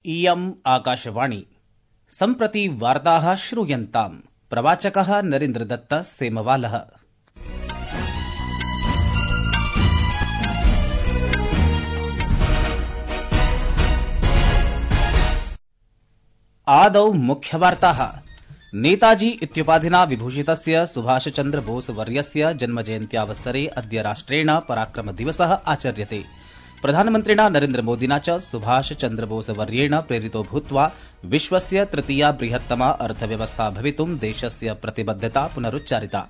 इयम् आकाशवाणी सम्प्रति वार्ताः श्रूयन्ताम्। प्रवाचकः नरेन्द्रदत्त सेमवालः। आदौ मुख्यवार्ताः। नेताजी इत्युपाधिना विभूषितस्य सुभाषचन्द्र बोस वर्यस्य जन्मजयन्त्यावसरे अद्य राष्ट्रेण पराक्रम दिवसः आचर्यते। प्रधानमन्त्रिणा नरेन्द्रमोदिना च सुभाषचन्द्र बोस वर्येण प्रेरितो भूत्वा विश्वस्य तृतीया बृहत्तमा अर्थव्यवस्था भवितुं देशस्य प्रतिबद्धता पुनरुच्चारिता।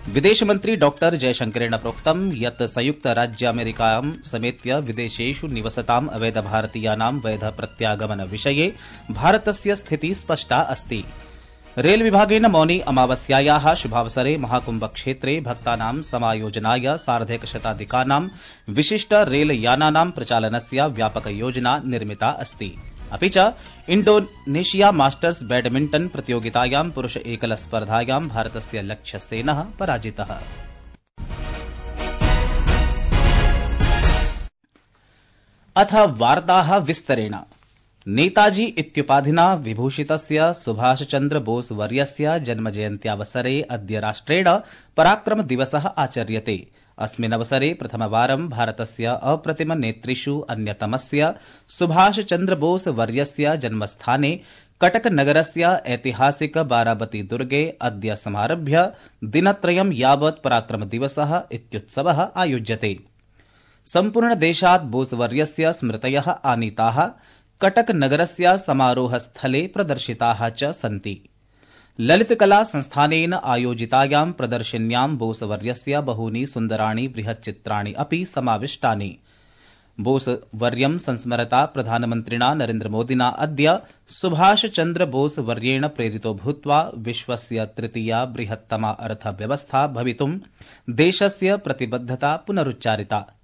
विदेशमन्त्री डॉ जयशंकरेण प्रोक्तं यत् संयुक्तराज्यामेरिकां समेत्य विदेशेषु निवसताम् अवैधभारतीयानां वैध प्रत्यागमन विषये भारतस्य स्थितिः स्पष्टा अस्ति। रेल विभागेन मौनी अमावस्यायाः शुभावसरे महाकुम्भ क्षेत्रे भक्तानां समायोजनाय सार्धैकशताधिकानां विशिष्ट रेलयानानां प्रचालनस्य व्यापक योजना निर्मिता अस्ति। अपि च इण्डोनेशिया मास्टर्स बैडमिण्टन प्रतियोगितायां पुरुष एकल स्पर्धायां भारतस्य लक्ष्यसेनः पराजितः। अथ वार्ताः विस्तरेण। नेताजी इत्युपाधिना विभूषितस्य सुभाषचन्द्र बोस वर्यस्य जन्मजयन्त्यावसरे अद्य राष्ट्रेण पराक्रम दिवसः आचर्यते। अस्मिन्नवसरे प्रथमवारं भारतस्य अप्रतिम नेतृषु अन्यतमस्य सुभाषचन्द्र बोस वर्यस्य जन्मस्थाने कटकनगरस्य ऐतिहासिक बाराबती दुर्गे अद्य समारभ्य दिनत्रयं यावत् पराक्रम दिवसः इत्युत्सवः आयोज्यते। सम्पूर्णदेशात् बोसवर्यस्य स्मृतयः आनीताः कटकनगरस्य समारोहस्थले प्रदर्शिताः च सन्ति। ललितकला संस्थानेन आयोजितायां प्रदर्शिन्यां बोसवर्यस्य बहूनि सुन्दराणि बृहच्चित्राणि अपि समाविष्टानि। बोसवर्यं संस्मरता प्रधानमन्त्रिणा नरेन्द्रमोदिना अद्य सुभाषचन्द्र बोस वर्येण प्रेरितो भूत्वा विश्वस्य तृतीया बृहत्तमा अर्थव्यवस्था भवितुं देशस्य प्रतिबद्धता पुनरुच्चारिता।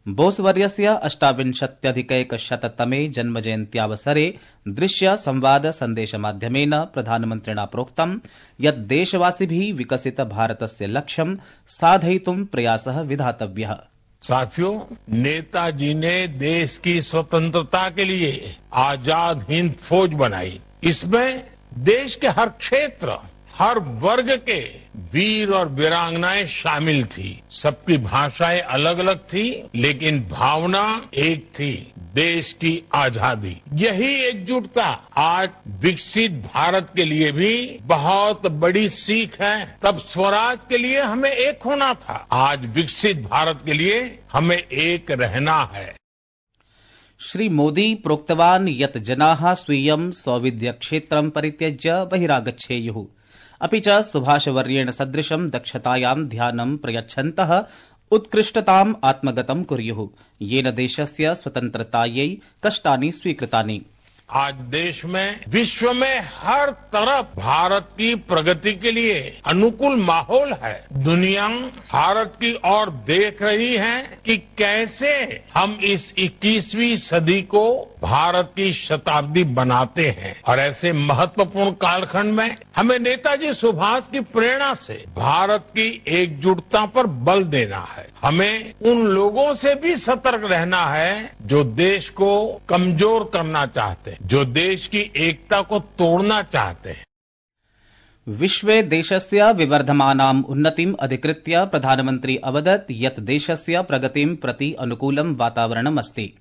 बोसवर्यस्य 88अधिकैकशततमे जन्मजयन्त्यावसरे दृश्य संवाद सन्देशमाध्यमेन प्रधानमन्त्रिणा प्रोक्तं यत् देशवासिभिः विकसित भारतस्य लक्ष्यं साधयितुं प्रयासः विधातव्यः। साथियों, नेताजी ने देश की स्वतंत्रता के लिए आजाद हिंद फौज बनाई। इसमें देश के हर क्षेत्र, हर वर्ग के वीर और वीरांगनाएं शामिल थी। सबकी भाषाएं अलग अलग थी, लेकिन भावना एक थी, देश की आजादी। यही एकजुटता आज विकसित भारत के लिए भी बहुत बड़ी सीख है। तब स्वराज के लिए हमें एक होना था, आज विकसित भारत के लिए हमें एक रहना है। श्री मोदी प्रोक्तवान् यत् जनाः स्वीयं सौविध्यक्षेत्रं परित्यज्य बहिरागच्छेयुः। अपि च सुभाषवर्येण सदृशं दक्षतायां ध्यानं प्रयच्छन्तः उत्कृष्टताम् आत्मगतं कुर्युः, येन देशस्य स्वतन्त्रतायै कष्टानि स्वीकृतानि। आज देश में, विश्व में हर तरफ भारत की प्रगति के लिए अनुकूल माहौल है। दुनिया भारत की ओर देख रही है कि कैसे हम इस 21वीं सदी को भारत की शताब्दी बनाते हैं। और ऐसे महत्वपूर्ण कालखंड में हमें नेताजी सुभाष की प्रेरणा से भारत की एकजुटता पर बल देना है। हमें उन लोगों से भी सतर्क रहना है जो देश को कमजोर करना चाहते हैं, जो देश की एकता को तोड़ना चाहते हैं। विश्वे देशस्य विवर्धमानाम् उन्नतिम् अधिकृत्य प्रधानमन्त्री अवदत् यत् देशस्य प्रगतिं प्रति अनुकूलं वातावरणम् अस्ति,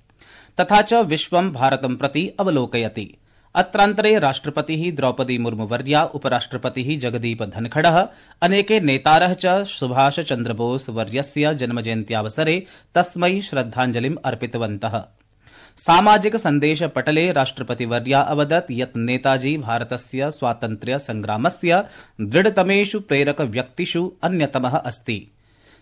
तथा च विश्वं भारतं प्रति अवलोकयति। अत्रान्तरे राष्ट्रपतिः द्रौपदी मुर्मुवर्या, उपराष्ट्रपतिः जगदीप धनखडः, अनेके नेतारः च सुभाषचन्द्र बोस वर्यस्य जन्मजयन्त्यावसरे तस्मै श्रद्धाञ्जलिम् अर्पितवन्तः। सामाजिक सन्देश पटले राष्ट्रपतिवर्या अवदत् यत् नेताजी भारतस्य स्वातन्त्र्य संग्रामस्य दृढतमेषु प्रेरक व्यक्तिषु अन्यतमः अस्ति।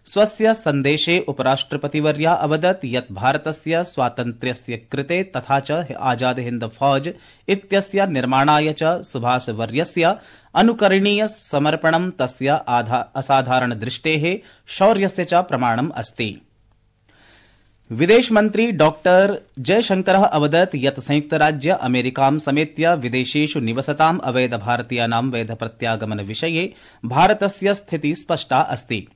स्वस्य सन्देशे उपराष्ट्रपतिवर्या अवदत् यत् भारतस्य स्वातन्त्र्यस्य कृते तथा च आजाद हिन्द फौज इत्यस्य निर्माणाय च सुभाषवर्यस्य अनुकरणीय समर्पणं तस्य असाधारण दृष्टेः शौर्यस्य च प्रमाणम् अस्ति। विदेशमन्त्री डॉ जयशंकरः अवदत् यत् संयुक्तराज्य अमेरिकां समेत्य विदेशेषु निवसताम् अवैध भारतीयानां वैध प्रत्यागमन विषये भारतस्य स्थितिः स्पष्टा अस्ति।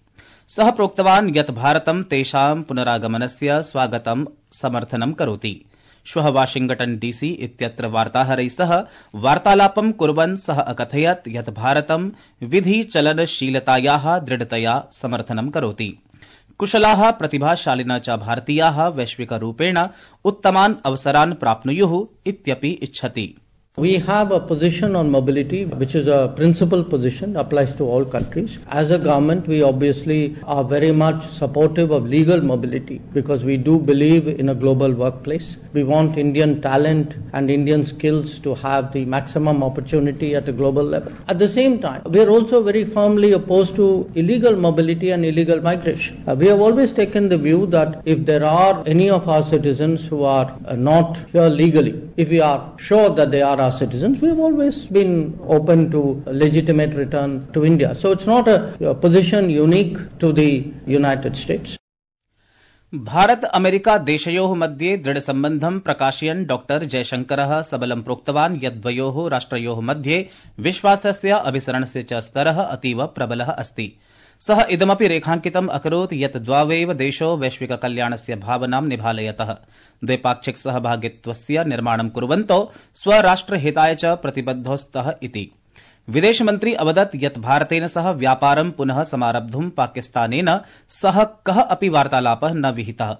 सः प्रोक्तवान् यत् भारतं तेषां पुनरागमनस्य स्वागतं समर्थनं करोति। श्वः वाशिंगटन डीसी इत्यत्र वार्ताहरैः सह वार्तालापं कुर्वन् सः अकथयत् यत् भारतं विधि चलनशीलतायाः दृढतया समर्थनं करोति। कुशलाः प्रतिभाशालिनः च भारतीयाः वैश्विकरूपेण उत्तमान् अवसरान् प्राप्नुयुः इत्यपि इच्छति। We have a position on mobility which is a principal position, applies to all countries. As a government, we obviously are very much supportive of legal mobility because we do believe in a global workplace. We want Indian talent and Indian skills to have the maximum opportunity at a global level. At the same time, we are also very firmly opposed to illegal mobility and illegal migration. We have always taken the view that if there are any of our citizens who are not here legally, if we are sure that they are our citizens, we have always been open to legitimate return to India. So it's not a position unique to the United States. Bharata America देशयोः मध्ये दृढ सम्बन्धं प्रकाशयन् doctor जयशंकरः सबलं प्रोक्तवान् यत् द्वयोः राष्ट्रयोः मध्ये विश्वासस्य अभिसरणस्य च स्तरः अतीव प्रबलः अस्ति। सः इदमपि रेखाङ्कितम् अकरोत् यत् द्वावेव देशौ वैश्विक कल्याणस्य भावनां निभालयतः द्वैपाक्षिक सहभागित्वस्य निर्माणं कुर्वन्तौ स्वराष्ट्रहिताय च प्रतिबद्धौ स्तः इति। विदेशमन्त्री अवदत् यत् भारतेन सह व्यापारं पुनः समारब्धुं पाकिस्तानेन सह कः अपि वार्तालापः न विहितः।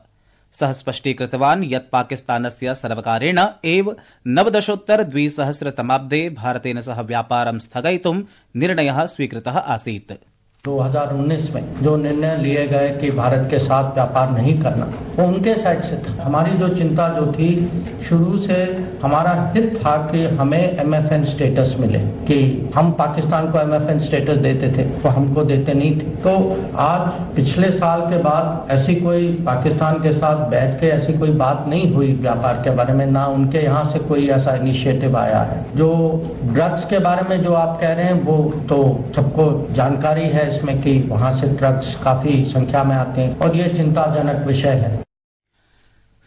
सः स्पष्टीकृतवान् यत् पाकिस्तानस्य सर्वकारेण एव 1920 भारतेन सह व्यापारं स्थगयितुं निर्णयः स्वीकृतः आसीत्। 2019 में जो निर्णय लिए गए कि भारत के साथ व्यापार नहीं करना, वो उनके साइड से था। हमारी जो चिंता जो थी, शुरू से हमारा हित था कि हमें MFN स्टेटस मिले, कि हम पाकिस्तान को MFN स्टेटस देते थे तो हमको देते नहीं थे। तो आज पिछले साल के बाद ऐसी कोई पाकिस्तान के साथ बैठ के ऐसी कोई बात नहीं हुई व्यापार के बारे में, ना उनके यहाँ से कोई ऐसा इनिशिएटिव आया है। जो ड्रग्स के बारे में जो आप कह रहे हैं वो तो सबको जानकारी है इसमें कि वहां से ड्रग्स काफी संख्या में आते हैं और ये चिंताजनक विषय है।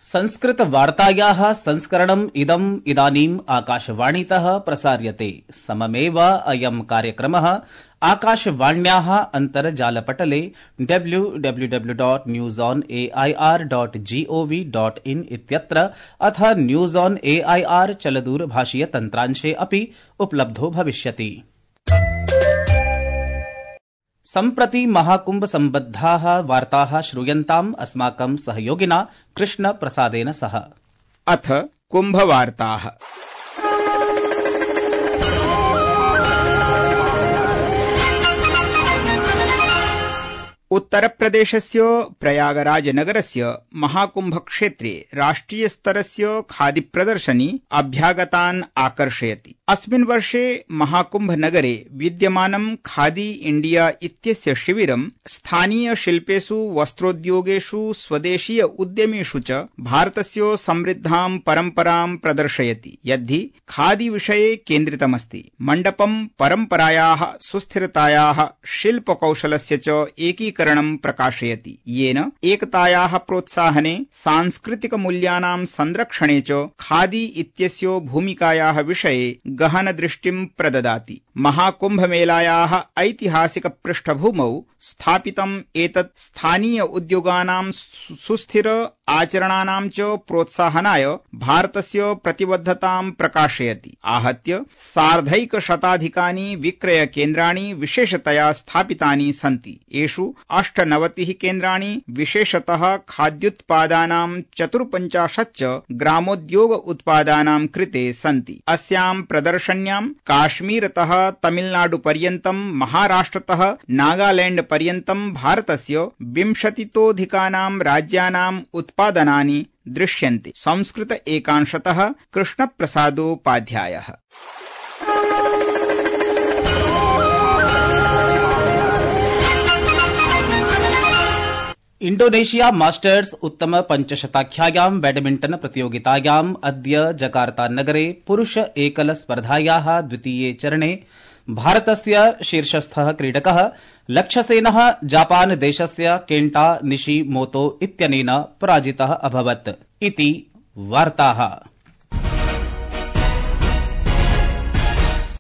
संस्कृत वार्तायाः संस्करणम् इदानीम् आकाशवाणीतः प्रसार्यते। सममेव अयं कार्यक्रमः आकाशवाण्याः अन्तर्जालपटले www.newsonair.gov.in इत्यत्र अथ न्यूज ऑन एआईआर चलदूरभाषीय तन्त्रांशे अपि उपलब्धो भविष्यति। सम्प्रति महाकुंभ सम्बद्धाः वार्ताः श्रूयन्ताम् अस्माकं सहयोगिना कृष्ण प्रसादेन सह। अथ कुंभ वार्ताः। उत्तरप्रदेशस्य प्रयागराज नगरस्य महाकुंभ क्षेत्रे राष्ट्रिय स्तरस्य खादी प्रदर्शनी अभ्यागतान् आकर्षयति। अस्मिन् वर्षे महाकुंभ नगरे विद्यमानं खादी इंडिया इत्यस्य शिविरं स्थानीय शिल्पेषु, वस्त्रोद्योगेषु, स्वदेशीय उद्यमेषु च भारतस्य समृद्धां परम्परां प्रदर्शयति, यद्धि खादी विषये केन्द्रितमस्ति। मण्डपं परम्परायाः सुस्थिरतायाः शिल्पकौशलस्य च एकीकरणं प्रकाशयति, येन एकतायाः प्रोत्साहने, सांस्कृतिक मूल्यानां संरक्षणे च खादी इत्यस्य भूमिकायाः विषये गहन दृष्टिं प्रददाति। महाकुंभ मेलायाः ऐतिहासिक पृष्ठभूमौ स्थापितम् एतत् स्थानीय उद्योगानां सुस्थिर आचरणानां च प्रोत्साहनाय भारतस्य प्रतिबद्धतां प्रकाशयति। आहत्य 150 विक्रय केन्द्राणि विशेषतया स्थापितानि सन्ति। एषु 98 केन्द्राणि विशेषतः खाद्योत्पादानां 54 च ग्रामोद्योग उत्पादानां कृते सन्ति। अस्यां प्रदर्शन्यां काश्मीरतः तमिलनाडु पर्यन्तं, महाराष्ट्रतः नागालैंड पर्यन्तं भारतस्य 20तोऽधिकानां राज्यानाम् उत्पादनानि दृश्यन्ते। संस्कृत एकांशतः कृष्णप्रसादोपाध्यायः। इंडोनेशिया मास्टर्स उत्तम पंचशताख्यायां बैडमिंटन प्रतियोगितायाम् अद्य जकार्ता नगरे पुरुष एकल स्पर्धायाः द्वितीये चरणे भारतस्य शीर्षस्थः क्रीडकः लक्ष्यसेनः जापान देशस्य केन्टा निशिमोतो इत्यनेन पराजितः अभवत् इति वार्ताः।